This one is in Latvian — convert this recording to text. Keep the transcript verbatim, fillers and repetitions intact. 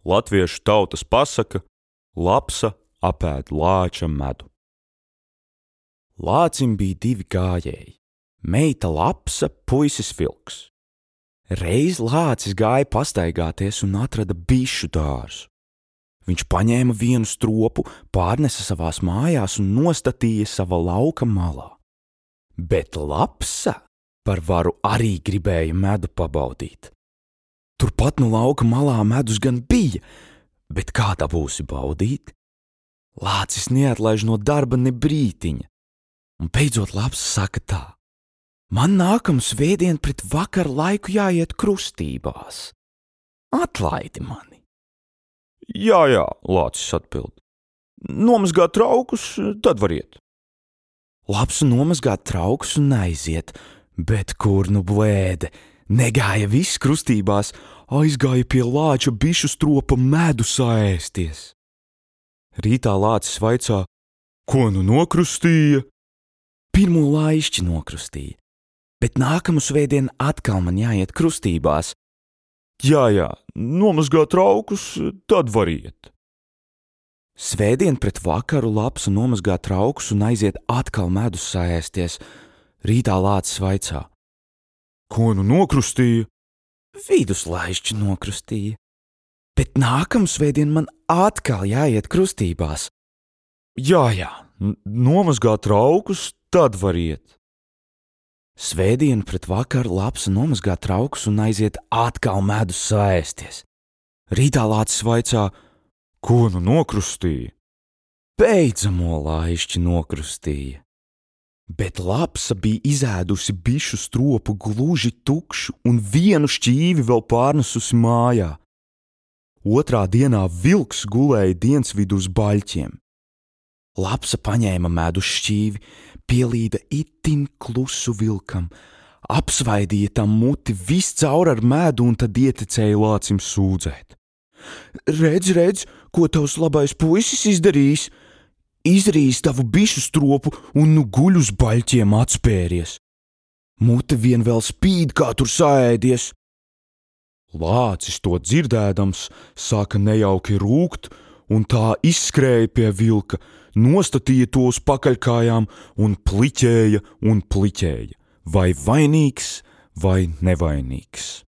Latviešu tautas pasaka lapsa apēd lāča medu. Lācim bija divi gājēji – meita Lapsa, puisis Vilks. Reiz lācis gāja pastaigāties un atrada bišu dārzu. Viņš paņēma vienu stropu, pārnesa savās mājās un nostatīja sava lauka malā. Bet Lapsa par varu arī gribēja medu pabaudīt. Turpat no lauka malā medus gan bija, bet kā tā būsi baudīt? Lācis neatlaiž no darba ne brītiņa. Un beidzot Lapsa saka tā: man nākamu svētdien pret vakaru laiku jāiet krustībās. Atlaidi mani. Jā, jā, Lācis atbild. Nomazgāt traukus, tad var iet. Lapsa nomazgāt traukus un aiziet, bet kur nu blēde, negāja viss krustībās, aizgāja pie lāča bišu stropa medu saēsties. Rītā Lācis vaicā: ko nu nokrustīja? Pirmo laišķi nokrustīja, bet nākamu svētdien atkal man jāiet krustībās. Jā, jā, nomazgāt traukus, tad var iet. Svētdien pret vakaru Lapsa nomazgā traukus un aiziet atkal medus saēsties. Rītā Lācis vaicā: ko nu nokrustīja? Viduslaišķi nokrustīja, bet nākamu svētdien man atkal jāiet krustībās. Jā, jā, nomazgāt traukus, tad var iet. Svētdien pret vakaru Lapsa nomazgā traukus un aiziet atkal medus saēsties. Rītā Lācis vaicā: ko nu nokrustīja? Beidzamo laišķi nokrustīja. Bet Lapsa bija izēdusi bišu stropu gluži tukšu un vienu šķīvi vēl pārnesusi mājā. Otrā dienā Vilks gulēja dienasvidu uz baļķiem. Lapsa paņēma medus šķīvi, pielīda itin klusu Vilkam, apsvaidīja tam muti viscaur ar medu un tad ietecēja Lācim sūdzēt. Redz, redz, ko tavs labais puisis izdarījis? Izrījis tavu bišu stropu un nu guļ uz baļķiem atspēries. Mute vien vēl spīd, kā tur saēdies. Lācis to dzirdēdams sāka nejauki rūkt un tā izskrēja pie Vilka, nostatīja to uz pakaļkājām un pliķēja un pliķēja, vai vainīgs vai nevainīgs.